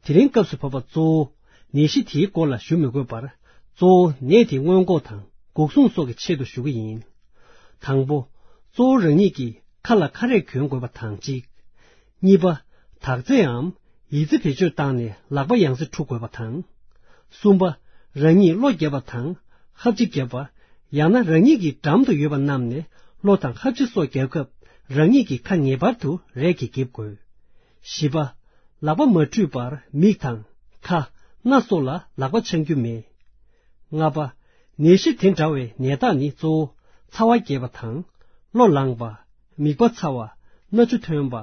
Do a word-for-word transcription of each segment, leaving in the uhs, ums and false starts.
དེ་རིང་སྐབས་སུ་བབ་པ་གཙོ་བོ་ནད་གཞི་དེའི་སྐོར་ལ་ཞུ་མི་དགོས་པར། གཙོ་བོ་ནད་དེ་སྔོན་འགོག་དང་འགོག་སྲུང་སོགས་ཀྱི་ཆེད་དུ་ཞུ་གི་ཡིན། དང་པོ། གཙོ་བོ་རང་ཉིད་ཀྱིས་ཁ་ལ་ཁ་རས་གྱོན་དགོས་པ་དང་གཅིག་གཉིས་པ། དག་རྫས་འམ་ཡི་ཙི་བེད་སྤྱོད་བཏང་ནས་ལག་པ་ཡང་སེ་འཁྲུ་དགོས་པ་དང་། གསུམ་པ། རང་ཉིད་གློ་བརྒྱབ་པ་དང་ཧབ་ཆི་བརྒྱབ་པ། ཡང་ན་རང་ཉིད་ཀྱི་འགྲམ་དུ་ཡོད་པ་བསྣམས་ནས་གློ་དང་ཧབ་ཆི་སོགས་བརྒྱབ་སྐབས་རང་ཉིད་ཀྱི་ཁ་ངེས་པར་དུ་རས་ཀྱིས་འགེབས་དགོས། བཞི་པ། ལག་པ་མ་འཁྲུད་པར་མིག་དང་ཁ། སྣ་སོགས་ལ་ལག་པ་འཆང་རྒྱུ་མེད། ལྔ་པ། ནད་གཞི་དེ་འདྲ་བའི་ནད་རྟགས་ནི་གཙོ་བོ་ཚ་བ་རྒྱས་པ་དང་། གློ་ལངས་པ། མིད་པ་ཚ་བ། སྣ་ཆུ་ཐོན་པ།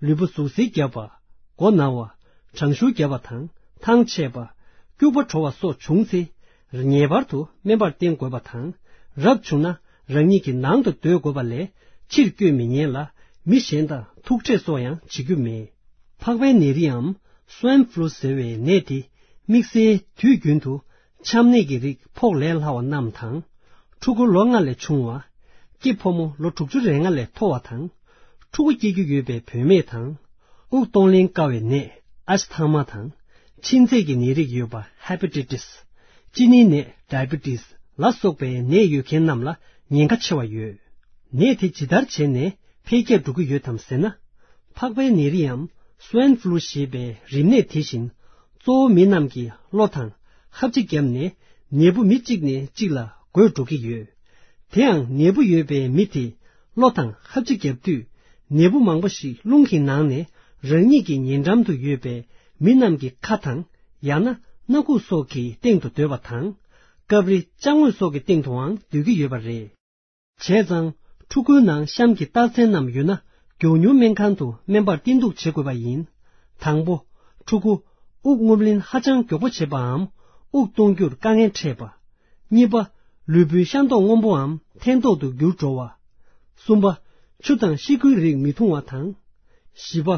ལུས་པོ་ཟུག་གཟེར་བརྒྱབ་པ། མགོ་ན་བ། གྲང་ཤུར་བརྒྱབ་པ་དང་ཐང་ཆད་པ། སྐྱུག་པ་བྲོ་བ་སོགས་བྱུང་ཚེ། ངེས་པར་དུ་སྨན་པར་བསྟེན་དགོས་པ་དང་། རབ་བྱུང་ན་རང་ཉིད་ཀྱི་ནང་དུ་སྡོད་དགོས་པ་ལས་ཕྱིར་བསྐྱོད་མི་ཉན་ལ། མི་གཞན་དང་ཐུག་འཕྲད་སོགས་ཡང་བྱེད་རྒྱུ་མེད། ཕག་པའི་ནད་རིགས་འམ་སུའེན་ཕུ་ལུ་ཟེར་བའི་ནད་དེ། དམིགས་བསལ་དུས་རྒྱུན་དུ་ཆམ་ནད་ཀྱི་རིགས་ཕོག་ལས་སླ་བ་རྣམས་དང་། ཕྲུ་གུ་ལོ་ལྔ་ལས་ཆུང་བ། སྐྱེས་ཕོ་མོ་ལོ་དྲུག་ཅུ་རེ་ལྔ་ལས་མཐོ་བ་དང་། ཕྲུ་གུ་སྐྱེ་རྒྱུ་ཡོད་པའི་བུད་མེད་དང་། དབུགས་གཏོང་ལེན་དཀའ་བའི་ནད་ཨ་སི་ཐ་མ་དང་། མཆིན་ཚད་ཀྱི་ནད་རིགས་ཡོད་པ་ཧེ་པ་ཊའི་ཊི་སི། གཅིན་སྙི་ནད་ཌའི་བི་ཊི་སི་ལ་སོགས་པའི་ནད་ཡོད་མཁན་རྣམས་ལ་ཉེན་ཁ་ཆེ་བ་ཡོད། ནད་དེ་ཇི་ལྟར་བྱས་ནས་འཕེལ་རྒྱས་འགྲོ་གི་ཡོད་དམ་ཟེར་ན། ཕག་པའི་ནད་རིགས་འམ་སུའེན་ཕུ་ལུ་ཞེས་པའི་རིམས་ནད་དེ་བཞིན། གཙོ་བོ་མི་རྣམས་ཀྱིས་གློ་དང་ཧབ་ཆི་བརྒྱབ་ནས་ནད་འབུ་མི་གཅིག་ནས་གཅིག་ལ་འགོས་འགྲོ་གི་ཡོད། དེའང་ནད་འབུ་ཡོད་པའི་མི་དེ་གློ་དང་ཧབ་ཆི་བརྒྱབ་དུས། ནད་འབུ་མང་པོ་ཞིག་རླུང་གི་ནང་ནས་རང་ཉིད་ཀྱི་ཉེ་འགྲམ་དུ་ཡོད་པའི་མི་རྣམས་ཀྱི་ཁ་དང་། ཡང་ན་སྣ་ཁུག་སོགས་ཀྱི་སྟེང་དུ་སྡོད་པ་དང་། སྐབས་རེ་ཅ་དངོས་སོགས་ཀྱི་སྟེང་དུའང་སྡོད་ཀྱི་ཡོད་པ་རེད། བྱས་ཙང་། ཕྲུ་གུའི་ནང་གཤམ་གྱི་རྟགས་མཚན་རྣམས་ཡོད་ན། མགྱོགས་མྱུར་སྨན་ཁང་དུ་སྨན་པར་བསྟེན་གཏུགས་བྱེད་དགོས་པ་ཡིན། དང་པོ། ཕྲུ་གུ་དབུགས་རྔུབ་ལེན་ཧ་ཅང་མགྱོགས་པོ་བྱེད་པའམ། དབུགས་གཏོང་རྒྱུར་དཀའ་ངལ་འཕྲད་པ། གཉིས་པ། ལུས་པོའི་ཤ་མདོག་སྔོན་པོའམ་ཐལ་མདོག་ཏུ་འགྱུར་འགྲོ་བ། གསུམ་པ། ཆུ་དང་ཤི་ཁུའི་རིགས་མི་འཐུང་བ་དང་། བཞི་པ།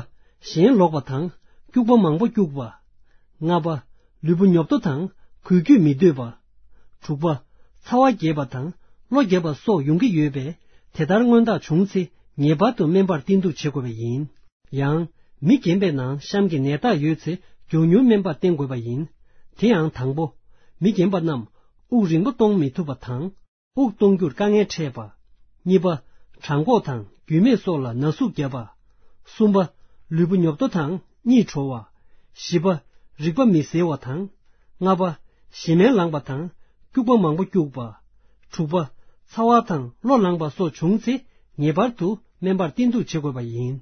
ཞེན་ལོག་པ་དང་སྐྱུག་པ་མང་པོ་སྐྱུག་པ། ལྔ་པ། ལུས་པོ་ཉོབ་ཏོ་དང་འགུལ་སྐྱོད་མི་འདོད་པ། དྲུག་པ། ཚ་བ་རྒྱས་པ་དང་གློ་རྒྱས་པ་སོགས་ཡོང་གི་ཡོད་པས། དེ་ལྟར་མངོན་རྟགས་བྱུང་ཚེ་ངེས་པར་དུ་སྨན་པར་བསྟེན་གཏུགས་བྱེད་དགོས་པ་ཡིན། ཡང་། མི་རྒན་པའི་ནང་གཤམ་གྱི་ནད་རྟགས་ཡོད་ཚེ་མགྱོགས་མྱུར་སྨན་པར་བསྟེན་དགོས་པ་ཡིན། དེ་ཡང་དང་པོ། མི་རྒན་པ་རྣམས་དབུགས་རིང་པོ་གཏོང་མི་ཐུབ་པ་དང་། དབུགས་གཏོང་རྒྱུར་དཀའ་ངལ་འཕྲད་པ། གཉིས་པ། བྲང་ཁོག་དང་རྒྱུས་མེད་སོགས་ལ་ན་ཟུག་བརྒྱབ་པ། གསུམ་པ། ལུས་པོ་ཉོབ་ཏོ་དང་གཉིད་བྲོ་བ། བཞི་པ། རིག་པ་མི་གསལ་བ་དང་། ལྔ་པ། ཞེ་མེར་ལངས་པ་དང་སྐྱུག་པ་མང་པོ་སྐྱུག་པ། དྲུག་པ། ཚ་བ་དང་གློ་ལངས་པ་སོགས་བྱུང་ཚེ་ངེས་པར་དུ་སྨན་པར་བསྟེན་གཏུགས་བྱེད་དགོས་པ་ཡིན།